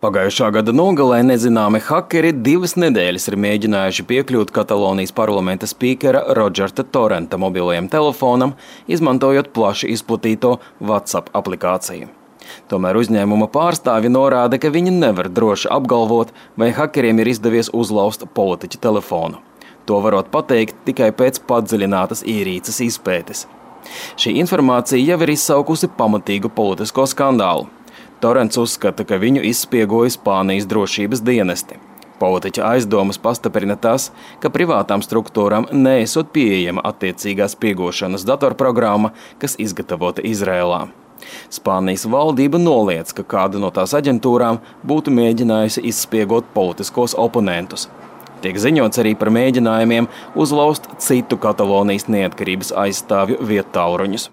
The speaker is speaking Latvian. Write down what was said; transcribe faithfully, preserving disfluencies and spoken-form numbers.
Pagājušā gada nogalē nezināmi hakeri divas nedēļas ir mēģinājuši piekļūt Katalonijas parlamenta spīkera Rodžerta Torrenta mobilajam telefonam, izmantojot plaši izplatīto WhatsApp aplikāciju. Tomēr uzņēmuma pārstāvi norāda, ka viņi nevar droši apgalvot, vai hakeriem ir izdevies uzlauzt politiķa telefonu. To varot pateikt tikai pēc padziļinātas ierīces izpētes. Šī informācija jau ir izsaukusi pamatīgu politisko skandālu. Torrents uzskata, ka viņu izspiegoja Spānijas drošības dienesti. Politiķa aizdomas pastiprina tas, ka privātām struktūrām neesot pieejama attiecīgā spiegošanas datorprogramma, kas izgatavota Izrēlā. Spānijas valdība noliedz, ka kāda no tās aģentūrām būtu mēģinājusi izspiegot politiskos oponentus. Tiek ziņots arī par mēģinājumiem uzlauzt citu Katalonijas neatkarības aizstāvju viedtālruņus.